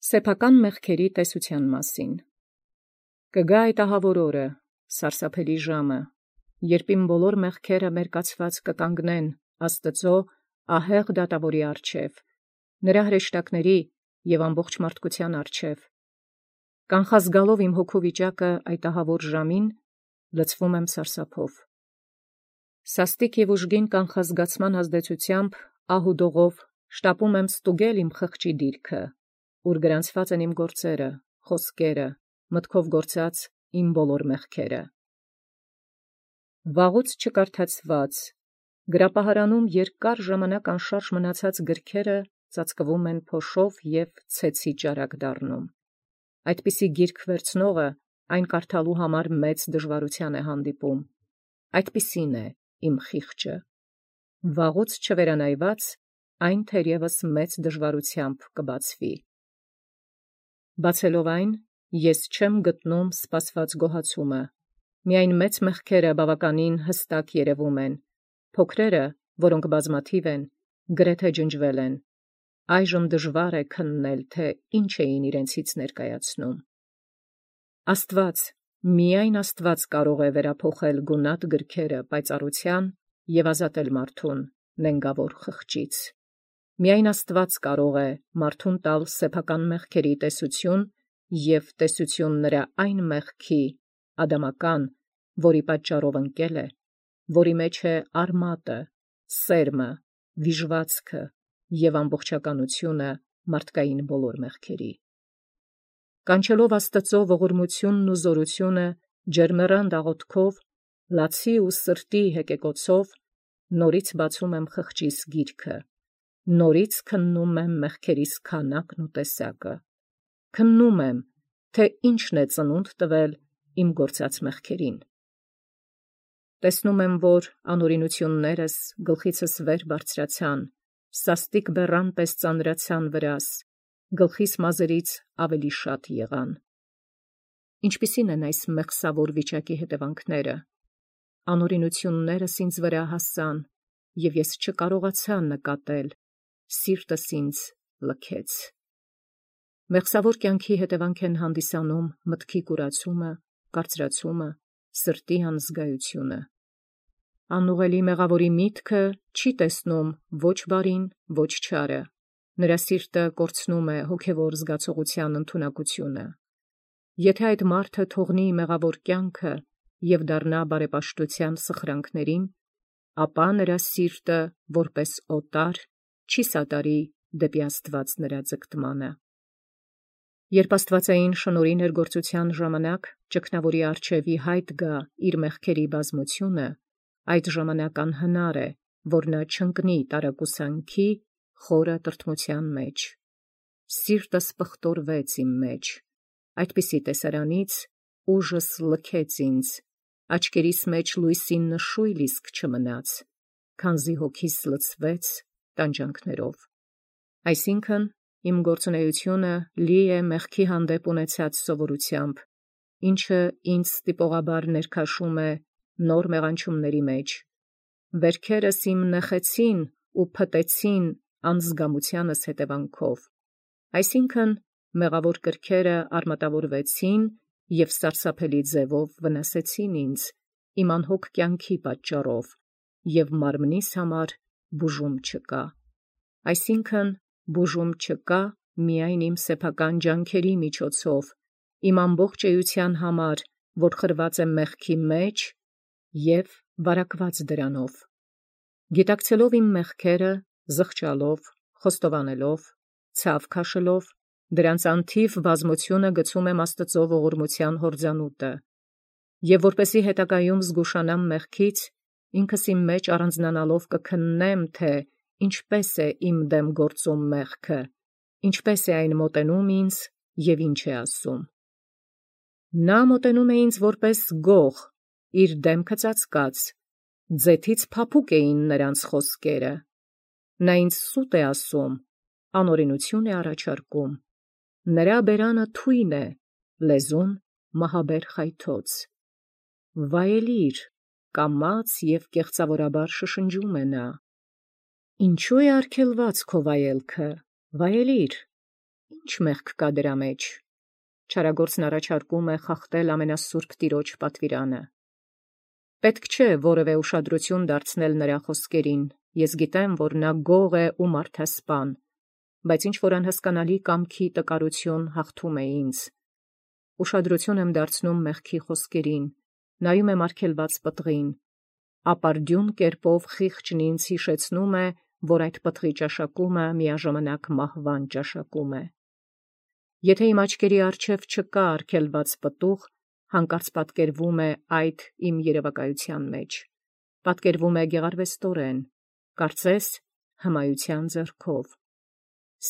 Սեփական մեղքերի տեսության մասին։ Կգա այդ ահավոր օրը, սարսափելի ժամը, երբ իմ բոլոր մեղքերը մերկացված կկանգնեն Աստծո ահեղ դատավորի առջև, նրա հրեշտակների և ամբողջ մարդկության առջև։ Կանխազգալով իմ հոգու վիճակը այդ ահավոր ժամին, լցվում եմ սարսափով։ Սաստիկ և ուժգին կանխազգացման ազդեցությամբ ահուդողով շտապում եմ ստուգել իմ խղճի դիրքը, ուր գրանցված են իմ գործերը, խոսքերը, մտքով գործած իմ բոլոր մեղքերը։ Վաղուց չկարդացված, գրապահարանում երկար ժամանակ անշարժ մնացած գրքերը ծածկվում են փոշով և ցեցի ճարակ դառնում։ Այդպիսի գիրք վերցնողը այն կարդալու համար մեծ դժվարության է հանդիպում։ Այդպիսին է իմ խիղճը։ Վաղուց չվերանայված, այն թերևս մեծ դժվարությամբ կբացվի։ Բացելով այն, ես չեմ գտնում սպասված գոհացումը, միայն մեծ մեղքերը բավականին հստակ երևում են, փոքրերը, որոնք բազմաթիվ են, գրեթե ջնջվել են, այժմ դժվար է քննել, թե ինչ էին իրենցից ներկայացնում։ Աստված, միայն Աստված կարող է վերափոխել գունատ գրքերը պայծառության և ազատել մարդուն նենգավոր խղճից։ Միայն Աստված կարող է մարդուն տալ սեփական մեղքերի տեսություն և տեսություն նրա այն մեղքի, ադամական, որի պատճառով ընկել է, որի մեջ է արմատը, սերմը, վիժվածքը և ամբողջականությունը մարդկային բոլոր մեղքերի։ Կանչելով Աստծո ողորմությունն ու զորությունը ջերմեռանդ աղոթքով, լացի ու սրտի հեկեկոցով, նորից բացում եմ խղճիս գիրքը, նորից քննում եմ մեղքերիս քանակն ու տեսակը, քննում եմ, թե ինչն է ծնունդ տվել իմ գործած մեղքերին։ Տեսնում եմ, որ անօրինություններս գլխիցս վեր բարձրացան, սաստիկ բեռան պես ծանրացան վրաս, գլխիս մազերից ավելի շատ եղան։ Ինչպիսին են այս մեղսավոր վիճակի հետևանքները։ Անօրինություններս ինձ վրա հասան, և ես չկարողացա նկատել, սիրտս ինձ լքեց։ Մեղսավոր կյանքի հետևանք են հանդիսանում մտքի կուրացումը, կարծրացումը, սրտի անզգայությունը։ Անուղելի մեղավորի միտքը չի տեսնում ոչ բարին, ոչ չարը, նրա սիրտը կորցնում է հոգևոր զգացողության ընդունակությունը։ Եթե այդ մարդը թողնի մեղավոր կյանքը և դառնա բարեպաշտության սխրանքներին, ապա նրա սիրտը, որպես օտար, չի սատարի դեպի Աստված նրա ձգտմանը։ Երբ աստվածային շնորհի ներգործության ժամանակ ճգնավորի առջև ի հայտ գա իր մեղքերի բազմությունը, այդ ժամանակ անհնար է, որ նա չընկնի տարակուսանքի խորը տրտմության մեջ։ Սիրտս պղտորվեց իմ մեջ, այդպիսի տեսարանից ուժս լքեց ինձ, աչքերիս մեջ լույսի նշույլ իսկ չմնաց, քանզի հոգիս լցվեց տանջանքներով։ Այսինքն, իմ գործունեությունը լի է մեղքի հանդեպ ունեցած սովորությամբ, ինչը ինձ ստիպողաբար ներքաշում է նոր մեղանչումների մեջ։ Վերքերս իմ նեխեցին ու փտեցին անզգամությանս հետևանքով, այսինքն մեղավոր կրքերը արմատավորվեցին և սարսափելի ձևով վնասեցին ինձ, իմ անհոգ կյանքի պատճառով, և մարմնիս համար բուժում չկա։ Այսինքն բուժում չկա միայն իմ սեփական ջանքերի միջոցով, իմ ամբողջ էության համար, որ խրված է մեղքի մեջ և վարակված դրանով։ Գիտակցելով իմ մեղքերը, զղջալով, խոստովանելով, ցավ քաշելով, դրանց անթիվ բազմությունը գցում եմ Աստծո ողորմության հորձանուտը, և որպեսզի հետագայում զգուշանամ մեղքից, ինքս իմ մեջ առանձնանալով կքննեմ, թե ինչպես է իմ դեմ գործում մեղքը, ինչպես է այն մոտենում ինձ և ինչ է ասում։ Նա մոտենում է ինձ որպես գող, իր դեմքը ծածկած, ձեթից փափուկ էին նրանց խոսքերը։ Նա ինձ սուտ է ասում, անօրենություն է առաջարկում, նրա բերանը թույն է, լեզուն մահաբեր խայթոց։ Վայելիր, կամաց և կեղծավորաբար շշնջում է նա. ինչու է արգելված քո վայելքը, վայելիր, Ինչ մեղք կա դրա մեջ։ Չարագործն առաջարկում է խախտել ամենասուրբ Տիրոջ պատվիրանը։ Պետք չէ որևէ ուշադրություն դարձնել նրա խոսքերին, ես գիտեմ, որ նա գող է ու մարդասպան, բայց ինչ-որ անհասկանալի կամքի տկարություն հաղթում է ինձ։ Ուշադրություն եմ դարձնում մեղքի խոսքերին, նայում եմ արգելված պտղին, ապարդյուն կերպով խիղճն ինձ հիշեցնում է, որ այդ պտղի ճաշակումը միաժամանակ մահվան ճաշակում է։ Եթե իմ աչքերի առջև չկա արգելված պտուղ, հանկարծ պատկերվում է այդ իմ երևակայության մեջ, պատկերվում է գեղարվեստորեն, կարծես հմայության ձեռքով։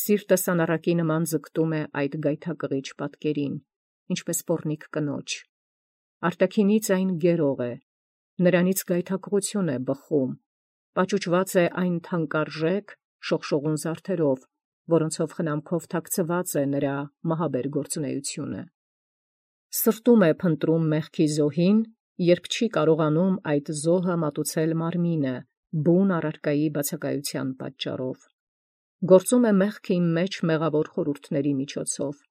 Սիրտս անառակի նման ձգտում է այդ գայթակղիչ պատկերին, ինչպես պոռնիկ կնոջ։ Արտաքինից այն գերող է, նրանից գայթակղություն է բխում, պաճուճված է այն թանկարժեք շողշողուն զարդերով, որոնցով խնամքով թաքցված է նրա մահաբեր գործունեությունը։ Սրտում է փնտրում մեղքի զոհին, երբ չի կարողանում այդ զոհը մատուցել մարմինը, բուն առարկայի բացակայության պատճառով։ Գործում է մեղքը իմ մեջ մեղավոր խորհուրդների միջոցով,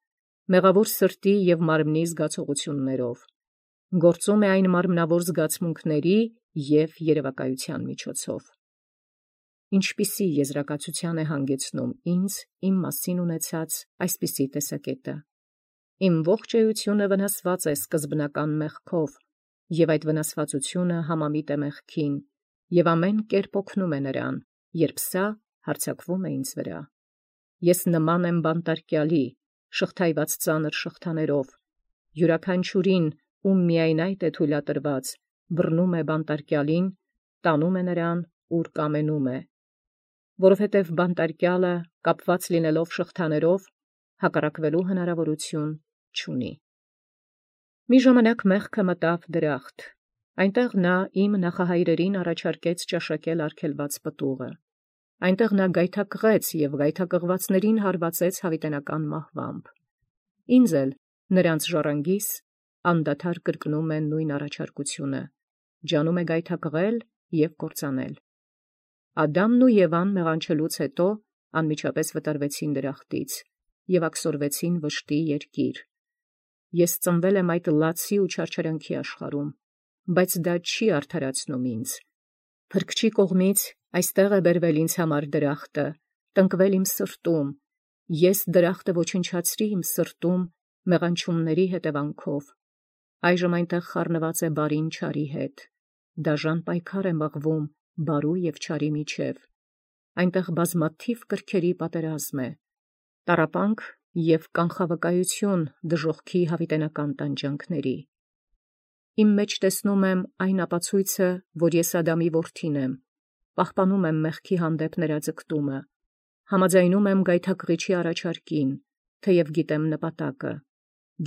մեղավոր սրտի և մարմնի զգացողություններով, գործում է այն մարմնավոր զգացմունքների և երևակայության միջոցով։ Ինչպիսի եզրակացության է հանգեցնում ինձ իմ մասին ունեցած այսպիսի տեսակետը։ Իմ ողջ էությունը վնասված է սկզբնական մեղքով, և այդ վնասվածությունը համամիտ է մեղքին, և ամեն կերպ օգնում է նրան, երբ սա հարձակվում է ինձ վրա։ Ես նման եմ բանտարկյալի, շղթայված ծանր շղթաներով, յուրաքանչյուրին, ում միայն այդ է թույլատրված, բռնում է բանտարկյալին, տանում է նրան, ուր կամենում է, որովհետև բանտարկյալը, կապված լինելով շղթաներով, հակառակվելու հնարավորություն չունի։ Մի ժամանակ մեղքը մտավ դրախտ, այնտեղ նա իմ նախահայրերին առաջարկեց ճաշակել արգելված պտուղը, այնտեղ նա գայթակղեց և գայթակղվածներին հարվածեց հավիտենական մահվամբ։ Ինձ էլ նրանց ժառանգիս անդադար կրկնում է նույն առաջարկությունը, ջանում է գայթակղել և կործանել։ Ադամն ու Եվան մեղանչելուց հետո անմիջապես վտարվեցին դրախտից և աքսորվեցին վշտի երկիր։ Ես ծնվել եմ այդ լացի ու չարչարանքի աշխարհում, բայց դա չի արդարացնում ինձ։ Փրկչի կողմից այստեղ է բերվել ինձ համար դրախտը, տնկվել իմ սրտում, ես դրախտը ոչնչացրի իմ սրտում մեղանչումների հետևանքով։ Այժմ այնտեղ խառնված է բարին չարի հետ, դաժան պայքար է մղվում բարու և չարի միջև, այնտեղ բազմաթիվ կրքերի պատերազմ է, տառապանք և կանխավկայություն դժոխքի հավիտենական տանջանքների։ Իմ մեջ տեսնում եմ այն ապացույցը, որ ես Ադամի որդին եմ, պահպանում եմ մեղքի հանդեպ նրա ձգտումը, համաձայնում եմ գայթակղիչի առաջարկին, թեև գիտեմ նպատակը,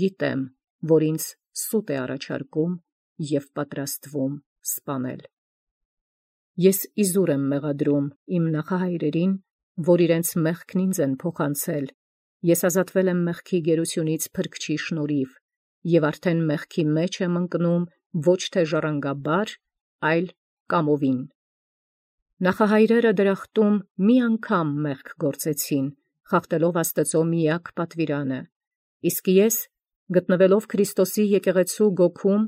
գիտեմ, որ ինձ սուտ է առաջարկում և պատրաստվում սպանել։ Ես իզուր եմ մեղադրում իմ նախահայրերին, որ իրենց մեղքն ինձ են փոխանցել, ես ազատվել եմ մեղքի գերությունից Փրկչի շնորհիվ և արդեն մեղքի մեջ եմ ընկնում ոչ թե ժառանգաբար, այլ կամովին։ Նախահայրերը դրախտում մի անգամ մեղք գործեցին, խախտելով Աստծո միակ պատվիրանը, իսկ ես, գտնվելով Քրիստոսի եկեղեցու գոգում,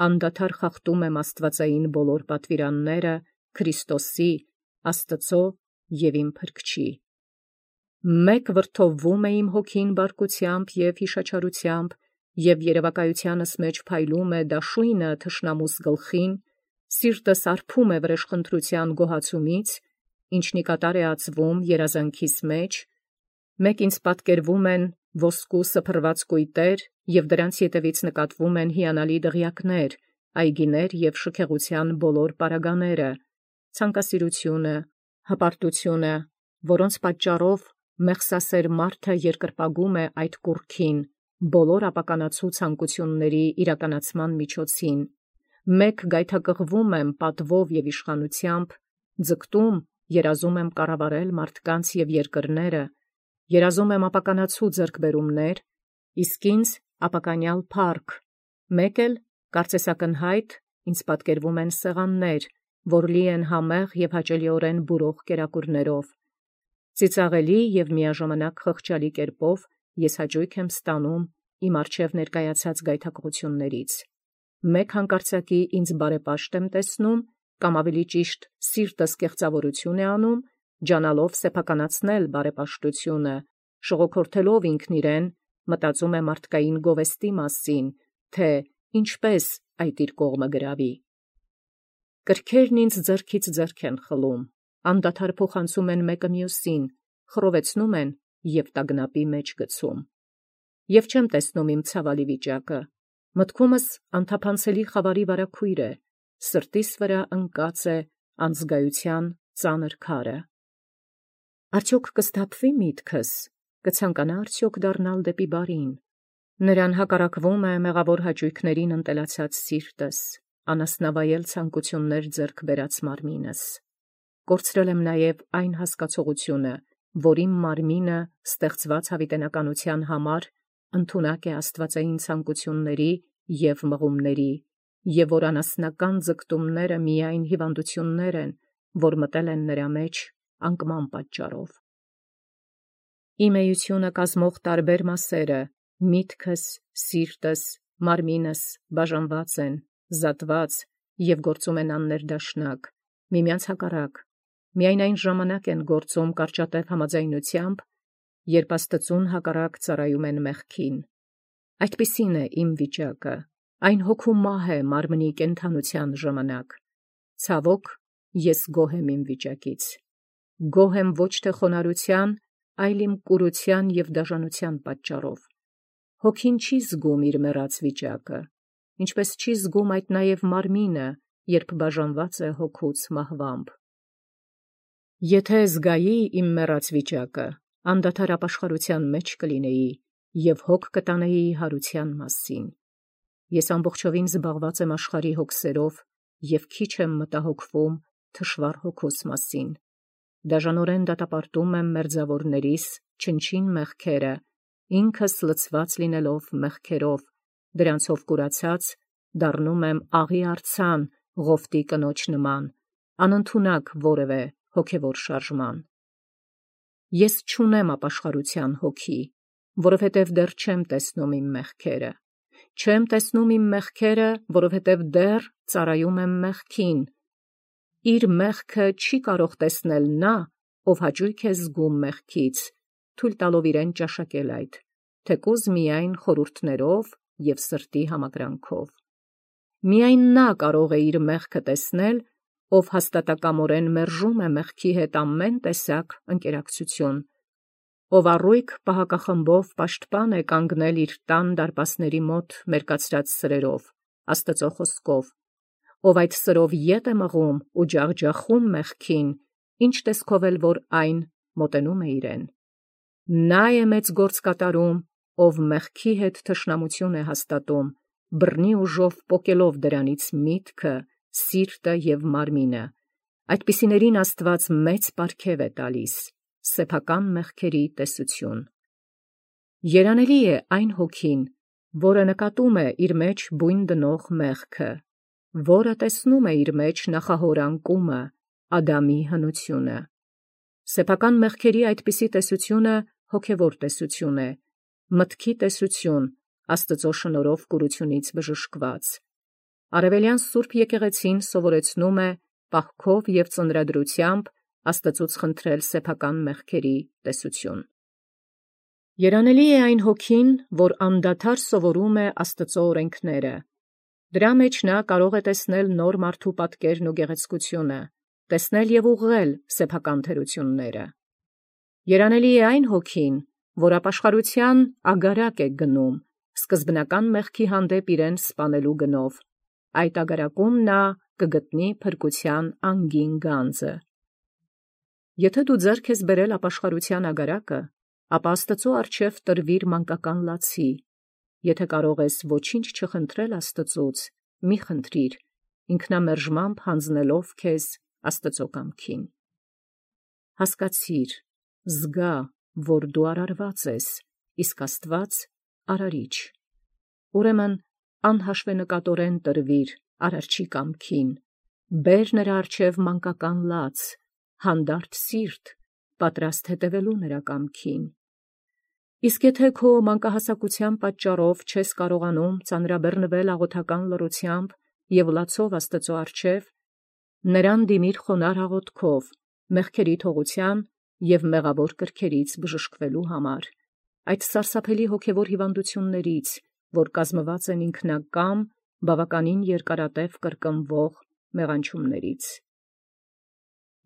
անդադար խախտում եմ աստվածային բոլոր պատվիրանները Քրիստոսի, Աստծո և իմ Փրկչի։ Մեկ վրդովվում է իմ հոգին բարկությամբ և հիշաչարությամբ, և երևակայությանս մեջ փայլում է դաշույնը թշնամուս գլխին, սիրտս արբում է վրեժխնդրության գոհացումից, ինչն ի կատար է ածվում երազանքիս մեջ, մեկ ինձ պատկերվում են ոսկու սփռված կույտեր, և դրանց ետևից նկատվում են հիանալի դղյակներ, այգիներ և շքեղության բոլոր պարագաները, ցանկասիրությունը, հպարտությունը, որոնց պատճառով մեղսասեր մարդը երկրպագում է այդ կուռքին, բոլոր ապականացու ցանկությունների իրականացման միջոցին, մեկ գայթակղվում եմ պատվով և իշխանությամբ, ձգտում, երազում եմ կառավարել մարդկանց և երկրները, երազում եմ ապականացու ձեռքբերումներ, իսկ ինձ ապականյալ փառք, մեկ էլ կարծես ակնհայտ ինձ պատկերվում են սեղաններ, որ լի են համեղ և հաճելիորեն բուրող կերակուրներով, Ծիծաղելի եւ միաժամանակ խղճալի կերպով ես հաճույք եմ ստանում իմ առջև ներկայացած գայթակղություններից։ Մեկ հանկարծակի ինձ բարեպաշտ եմ տեսնում, կամ ավելի ճիշտ սիրտս կեղծավորություն է անում, ջանալով սեփականացնել բարեպաշտությունը, շողոքորթելով ինքն իրեն, մտածում է մարդկային գովեստի մասին, թե ինչպես այդ իր կողմը գրավի։ Կրքերն ինձ ձեռքից ձեռք են խլում, անդադար փոխանցում են մեկը մյուսին, խռովեցնում են եւ տագնապի մեջ գցում։ Եվ չեմ տեսնում իմ ցավալի վիճակը, մտքումս անթափանցելի խավարի վարագույր է, սրտիս վրա ընկած է անզգայության ծանր քարը։ Արդյոք կսթափվի միտքս, կցանկանա արդյոք դառնալ դեպի բարին։ Նրան հակառակվում է մեղավոր հաճույքներին ընտելացած սիրտս, անասնավայել ցանկություններ ձեռք բերած մարմինս։ Կորցրել եմ նաև այն հասկացողությունը, որ իմ մարմինը ստեղծված հավիտենականության համար ընդունակ է աստվածային ցանկությունների և մղումների, և որ անասնական ձգտումները միայն հիվանդություններ են, որ մտել են նրա մեջ անկման պատճառով։ Իմ էությունը կազմող տարբեր մասերը, միտքս, սիրտս, մարմինս բաժանված են, զատված և գործում են աններդաշնակ, միմյանց հակառակ, միայն այն ժամանակ են գործում կարճատև համաձայնությամբ, երբ աստծուն հակառակ ծառայում են մեղքին։ Այդպիսին է իմ վիճակը, այն հոգու մահ է մարմնի կենդանության ժամանակ։ Ցավոք, ես գոհ եմ իմ վիճակից։ Գոհ եմ ոչ թե խոնարհության, այլ իմ կուրության և դաժանության պատճառով։ Հոգին չի զգում իր մեռած վիճակը, ինչպես չի զգում այդ նաև մարմինը, երբ բաժանված է հոգուց մահվամբ։ Եթե զգայի իմ մեռած վիճակը, անդադար ապաշխարության մեջ կլինեի և հոգ կտանեի հարության մասին։ Ես ամբողջովին զբաղված եմ աշխարհի հոգսերով և քիչ եմ մտահոգվում թշվառ հոգուս մասին։ Դաժանորեն դատապարտում եմ մերձավորներիս չնչին մեղքերը, ինքս լցված լինելով մեղքերով, դրանցով կուրացած դառնում եմ աղի արձան Ղովտի կնոջ նման, անընդունակ որևէ հոգևոր շարժման։ Ես չունեմ ապաշխարության հոգի, որովհետև դեռ չեմ տեսնում իմ մեղքերը։ Չեմ տեսնում իմ մեղքերը, որովհետև դեռ ծառայում եմ մեղքին։ Իր մեղքը չի կարող տեսնել նա, ով հաճույք է զգում մեղքից, թույլ տալով իրեն ճաշակել այդ, թեկուզ միայն խորհուրդներով և սրտի համակրանքով։ Միայն նա կարող է իր մեղքը տեսնել, ով հաստատակամորեն մերժում է մեղքի հետ ամեն տեսակ ընկերակցություն, ով առույգ պահակախմբով պաշտպան է կանգնել իր տան դարպասների մոտ մերկացրած սրերով, Աստծո խոսքով, ով այդ սրով ետ է մղում ու ջախջախում մեղքին, ինչ տեսքով էլ որ այն մոտենում է իրեն։ Նա է մեծ գործ կատարում, ով մեղքի հետ թշնամություն է հաստատում, բռնի ուժով պոկելով դրանից միտքը, սիրտը և մարմինը։ Այդպիսիներին Աստված մեծ պարգև է տալիս, սեփական մեղքերի տեսություն։ Երանելի է այն հոգին, որը նկատում է իր մեջ բույն դնող մեղքը, որը տեսնում է իր մեջ նախահոր անկումը, Ադամի հնությունը։ Սեփական մեղքերի այդպիսի տեսությունը հոգևոր տեսություն է, մտքի տեսություն, Աստծո շնորհով կուրությունից բժշկված։ Արևելյան Սուրբ եկեղեցին սովորեցնում է պահքով և ծնրադրությամբ Աստծուց խնդրել սեփական մեղքերի տեսություն։ Երանելի է այն հոգին, որ անդադար սովորում է Աստծո օրենքները։ Դրա մեջ նա կարող է տեսնել նոր մարդու պատկերն ու գեղեցկությունը, տեսնել և ուղղել սեփական թերությունները։ Երանելի է այն հոգին, որ ապաշխարության ագարակ է գնում, սկզբնական մեղքի հանդեպ իրեն սպանելու գնով։ Այդ ագարակում նա կգտնի փրկության անգին գանձը։ Եթե դու ձեռք ես բերել ապաշխարության ագարակը, ապա Աստծո առջև տրվիր մանկական լացի։ Եթե կարող ես ոչինչ չխնդրել Աստծուց, մի խնդրիր, ինքնամերժմամբ հանձնելով քեզ Աստծո կամքին։ Հասկացիր, զգա, որ դու արարված ես, իսկ Աստված արարիչ։ Ուրեմն անհաշվենկատորեն տրվիր Արարչի կամքին, բեր նրա առջև մանկական լաց, հանդարտ սիրտ պատրաստ հետևելու նրա կամքին։ Իսկ եթե քո մանկահասակության պատճառով չես կարողանում ծանրաբեռնվել աղոթական լռությամբ և լացով Աստծո առջև, նրան դիմիր խոնարհ աղոթքով, մեղքերի թողության և մեղավոր կրքերից բժշկվելու համար, այդ սարսափելի հոգևոր հիվանդություններից, որ կազմված են ինքնակամ, բավականին երկարատև կրկնվող մեղանչումներից։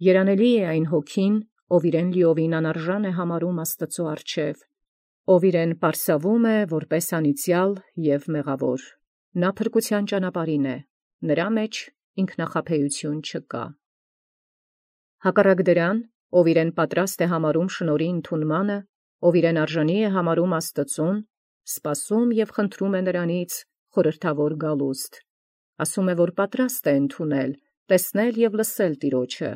Երանելի է այն հոգին, ով իրեն լիովին անարժան է համարում Աստծո առջև, ով իրեն պարսավում է որպես անիծյալ և մեղավոր։ Նա փրկության ճանապարհին է, նրա մեջ ինքնախաբեություն չկա։ Հակառակ դրան, ով իրեն պատրաստ է համարում շնորհի ընդունմանը, ով իրեն արժանի է համարում Աստծուն, սպասում և խնդրում է նրանից խորհրդավոր գալուստ, ասում է, որ պատրաստ է ընդունել, տեսնել և լսել Տիրոջը,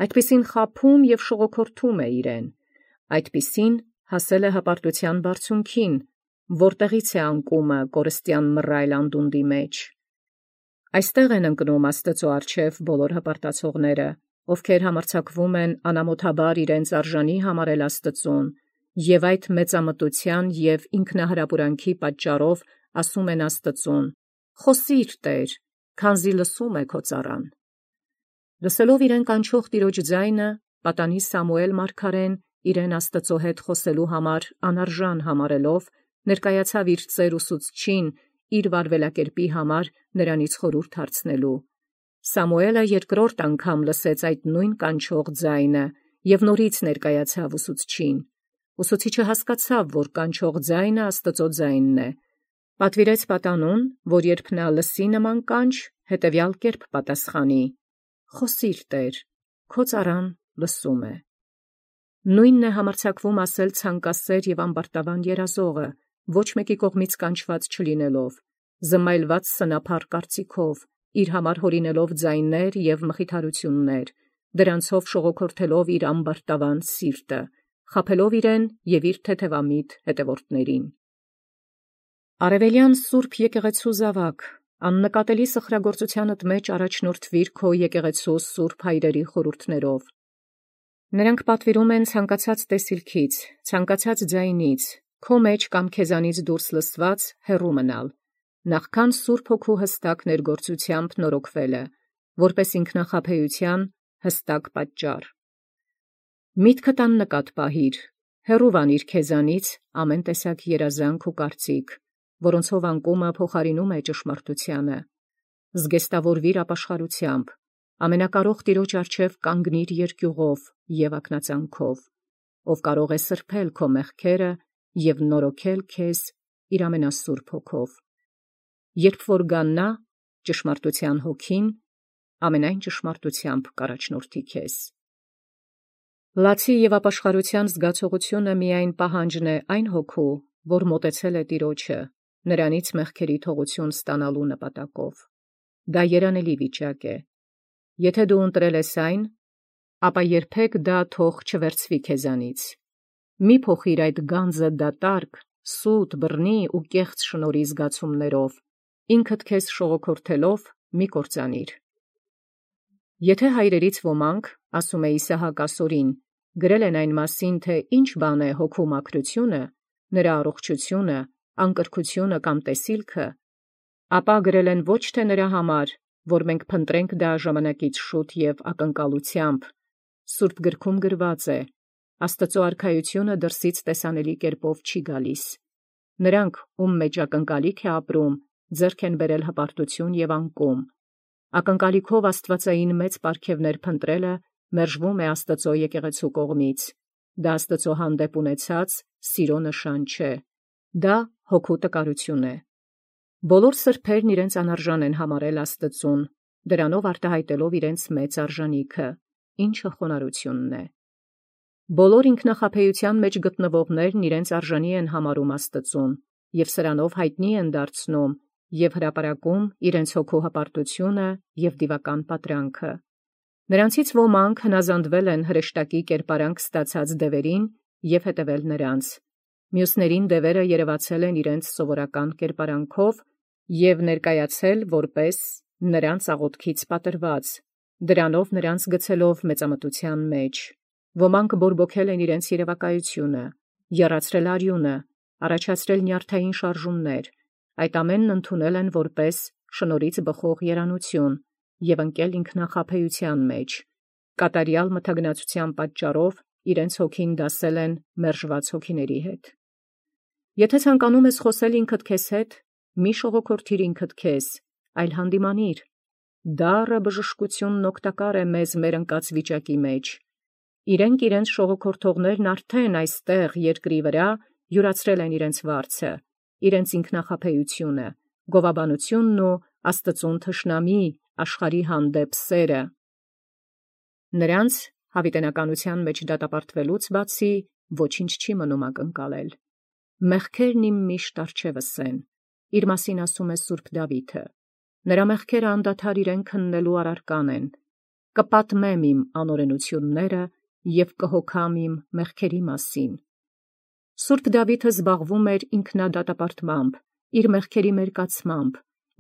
այդպիսին խաբում և շողոքորթում է իրեն, այդպիսին հասել է հպարտության բարձունքին, որտեղից է անկումը կորստյան մռայլ անդունդի մեջ։ Այստեղ են ընկնում Աստծո առջև բոլոր հպարտացողները, ովքեր համարձակվում են անամոթաբար իրենց արժանի համարել Աստծուն, և այդ մեծամտության և ինքնահրապուրանքի պատճառով ասում են Աստծուն. «Խոսի՛ր, Տեր, քանզի լսում է քո ծառան»։ Լսելով իրեն կանչող Տիրոջ ձայնը, պատանի Սամուել մարգարեն իրեն Աստծո հետ խոսելու համար անարժան համարելով, ներկայացավ իր ծեր ուսուցչին իր վարվելակերպի համար նրանից խորհուրդ հարցնելու։ Սամուելը երկրորդ անգամ լսեց այդ նույն կանչող ձայնը և նորից ներկայացավ ուսուցչին։ Ուսուցիչը հասկացավ, որ կանչող ձայնը Աստծո ձայնն է։ Պատվիրեց պատանուն, որ երբ նա լսի նման կանչ, հետևյալ կերպ պատասխանի. «Խոսի՛ր, Տեր, քո ծառան լսում է»։ Նույնն է համարձակվում ասել ցանկասեր և ամբարտավան երազողը, ոչ մեկի կողմից կանչված չլինելով, զմայլված սնափառ կարծիքով, իր համար հորինելով ձայներ և մխիթարություններ, դրանցով շողոքորթելով իր ամբարտավան սիրտը, խաբելով իրեն և իր թեթևամիտ հետևորդներին։ Արևելյան Սուրբ եկեղեցու զավակ, աննկատելի սխրագործությանդ մեջ առաջնորդվիր քո եկեղեցու սուրբ հայրերի խորհուրդներով։ Նրանք պատվիրում են ցանկացած տեսիլքից, ցանկացած ձայնից, քո մեջ կամ քեզանից դուրս լսված հեռու մնալ, նախքան Սուրբ Հոգու հստակ ներգործությամբ նորոգվելը, որպես ինքնախաբեության հստակ պատճառ։ Միտքդ աննկատ պահիր, հեռու վանիր քեզանից ամեն տեսակ երազանք ու կարծիք, որոնցով անկումը փոխարինում է ճշմարտությանը։ Զգեստավորվիր ապաշխարությամբ, ամենակարող Տիրոջ առջև կանգնիր երկյուղով և ակնածանքով, ով կարող է սրբել քո մեղքերը և նորոգել քեզ իր ամենասուրբ Հոգով։ Երբ որ գա նա, ճշմարտության Հոգին, ամենայն ճշմարտությամբ կառաջնորդի քեզ։ Լացի և ապաշխարության զգացողությունը միայն պահանջն է այն Հոգու, որ մոտեցել է Տիրոջը, նրանից մեղքերի թողություն ստանալու նպատակով։ Դա երանելի վիճակ է։ Եթե դու ընտրել ես այն, ապա երբեք դա թող չվերցվի քեզանից։ Մի փոխիր այդ գանձը դատարկ, սուտ, բռնի ու կեղծ շնորհի զգացումներով, ինքդ քեզ շողոքորթելով մի կործանիր։ Եթե հայրերից ոմանք, ասում է Իսահակ ասորին, գրել են այն մասին, թե ինչ բան է հոգու մաքրությունը, նրա առողջությունը, անկրքությունը կամ տեսիլքը, ապա գրել են ոչ թե նրա համար, որ մենք փնտրենք դա ժամանակից շուտ և ակնկալությամբ։ Սուրբ գրքում գրված է. Աստծո արքայությունը դրսից տեսանելի կերպով չի գալիս։ Նրանք, ում մեջ ակնկալիք է ապրում, ձեռք են բերել հպարտություն և անկում։ Ակնկալիքով աստվածային մեծ պարգևներ փնտրելը մերժվում է Աստծո եկեղեցու կողմից։ Դա Աստծո հանդեպ ունեցած սիրո նշան չէ։ Դա հոգու տկարություն է։ Բոլոր սրբերն իրենց անարժան են համարել Աստծուն, դրանով արտահայտելով իրենց մեծ արժանիքը, ինչը խոնարհությունն է։ Բոլոր ինքնախաբեության մեջ գտնվողներն իրենց արժանի են համարում Աստծուն և սրանով հայտնի են դարձնում և հրապարակում իրենց հոգու հպարտությունը և դիվական պատրանքը։ Նրանցից ոմանք հնազանդվել են հրեշտակի կերպարանք ստացած դևերին և հետևել նրանց։ Մյուսներին դևերը երևացել են իրենց սովորական կերպարանքով և ներկայացել որպես նրանց աղոթքից պատրված, դրանով նրանց գցելով մեծամտության մեջ։ Ոմանք բորբոքել են իրենց երևակայությունը, եռացրել արյունը, առաջացրել նյարդային շարժումներ, այդ ամենն ընդունել են որպես շնորհից բխող երանություն և ընկել ինքնախաբեության մեջ, կատարյալ մթագնացության պատճառով իրենց հոգին դասել են մերժված հոգիների հետ։ Եթե ցանկանում ես խոսել ինքդ քեզ հետ, մի շողոքորթիր ինքդ քեզ, այլ հանդիմանիր։ Դառը բժշկությունն օգտակար է մեզ մեր ընկած վիճակի մեջ։ Իրենք իրենց շողոքորթողներն արդեն այստեղ երկրի վրա յուրացրել են իրենց վարձը, իրենց ինքնախաբեությունը, գովաբանությունն ու Աստծուն թշնամի աշխարհի հանդեպ սերը։ Նրանց հավիտենականության մեջ դատապարտվելուց բացի ոչինչ չի մնում ակնկալել։ Մեղքերն իմ միշտ առջևս են, իր մասին ասում է Սուրբ Դավիթը։ Նրա մեղքերը անդադար իրեն քննելու առարկան են։ Կպատմեմ իմ անօրենությունները և կհոգամ իմ մեղքերի մասին։ Սուրբ Դավիթը զբաղվում էր ինքնադատապարտմամբ, իր մեղքերի մերկացմամբ,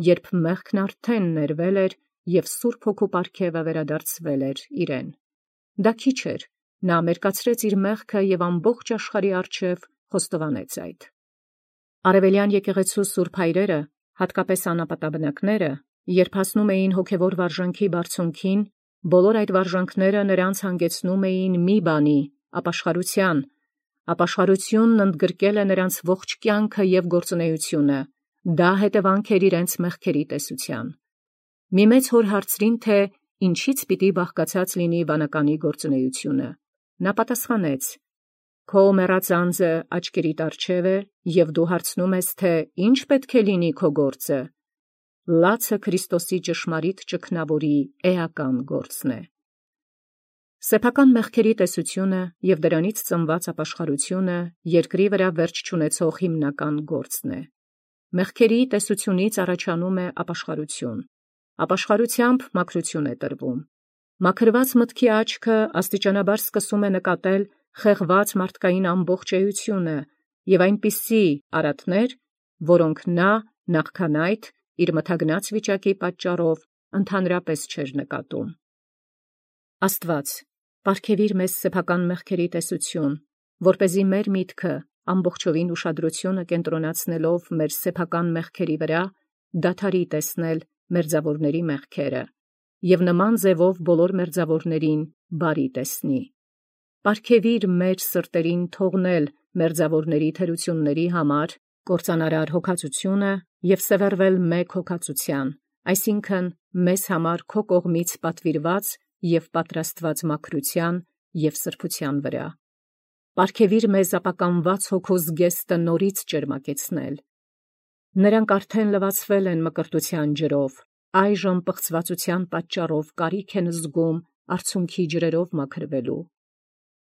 երբ մեղքն արդեն ներվել էր և Սուրբ Հոգու պարգևը վերադարձվել էր իրեն։ Դա քիչ էր, նա մերկացրեց իր մեղքը և ամբողջ աշխարհի առջև խոստովանեց այդ։ Արևելյան եկեղեցու սուրբ հայրերը, հատկապես անապատաբնակները, երբ հասնում էին հոգևոր վարժանքի բարձունքին, բոլոր այդ վարժանքները նրանց հանգեցնում էին մի բանի՝ ապաշխարության։ Ապաշխարությունն ընդգրկել է նրանց ողջ կյանքը և գործունեությունը, դա հետևանք էր իրենց մեղքերի տեսության։ Մի մեծ հոր հարցրին, թե ինչից պիտի բաղկացած լինի վանականի գործունեությունը։ Նա պատասխանեց. «Քո մեռած անձը աչքերիդ առջև է, և դու հարցնում ես, թե ինչ պետք է լինի քո գործը։ Լացը Քրիստոսի ճշմարիտ ճգնավորի էական գործն է»։ Սեփական մեղքերի տեսությունը և դրանից ծնված ապաշխարությունը երկրի վրա վերջ չունեցող հիմնական գործն է։ Մեղքերի տեսությունից առաջանում է ապաշխարություն։ Ապաշխարությամբ մաքրություն է տրվում։ Մաքրված մտքի աչքը աստիճանաբար սկսում է նկատել խեղված մարդկային ամբողջ էությունը և այնպիսի արատներ, որոնք նա նախքան այդ իր մթագնած վիճակի պատճառով ընդհանրապես չէր նկատում։ Աստված, պարգևիր մեզ սեփական մեղքերի տեսություն, որպեսզի մեր միտքը ամբողջովին ուշադրությունը կենտրոնացնելով մեր սեփական մեղքերի վրա, դադարի տեսնել մերձավորների մեղքերը և նման ձևով բոլոր մերձավորներին բարի տեսնի։ Պարգևիր մեր սրտերին թողնել մերձավորների թերությունների համար կործանարար հոգածությունը և սևեռվել մեկ հոգածության, այսինքն մեզ համար քո կողմից պատվիրված և պատրաստված մաքրության և սրբության վրա։ Պարգևիր մեզ ապականված հոգու զգեստը նորից ճերմակեցնել։ Նրանք արդեն լվացվել են մկրտության ջրով, այժմ պղծվածության պատճառով կարիք են զգում արցունքի ջրերով մաքրվելու։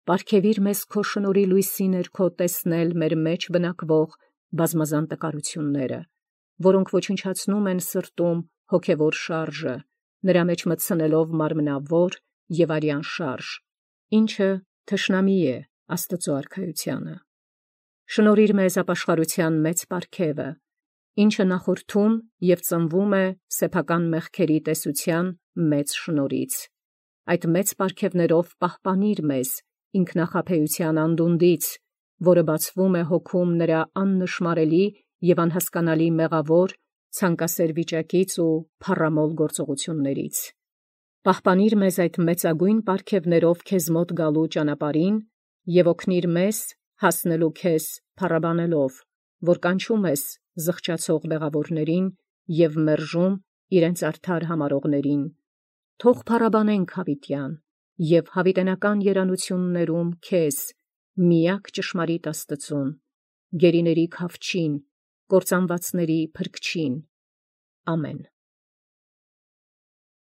Պարգևիր մեզ քո շնորհի լույսի ներքո տեսնել մեր մեջ բնակվող բազմազան տկարությունները, որոնք ոչնչացնում են սրտում հոգևոր շարժը, նրա մեջ մտցնելով մարմնավոր և արյան շարժ, ինչը թշնամի է Աստծու արքայությանը։ Շնորհիր մեզ ապաշխարության մեծ պարգևը, ինչը նախորդում և ծնվում է սեփական մեղքերի տեսության մեծ շնորհից։ Այդ մեծ պարգևներով պահպանիր մեզ ինքնախաբեության անդունդից, որը բացվում է հոգում նրա աննշմարելի և անհասկանալի մեղավոր, ցանկասեր վիճակից ու փառամոլ գործողություններից։ Պահպանիր մեզ այդ մեծագույն պարգևներով քեզ մոտ գալու ճանապարհին և օգնիր մեզ հասնելու քեզ փառաբանելով, որ կանչում ես զղջացող բեղավորներին և մերժում իրենց արդար համարողներին։ Թող փառաբանենք հավիտյան և հավիտենական երանություններում քեզ, միակ ճշմարիտ Աստծուն, գերիների Քավչին, կործանվածների Փրկչին։ Ամեն։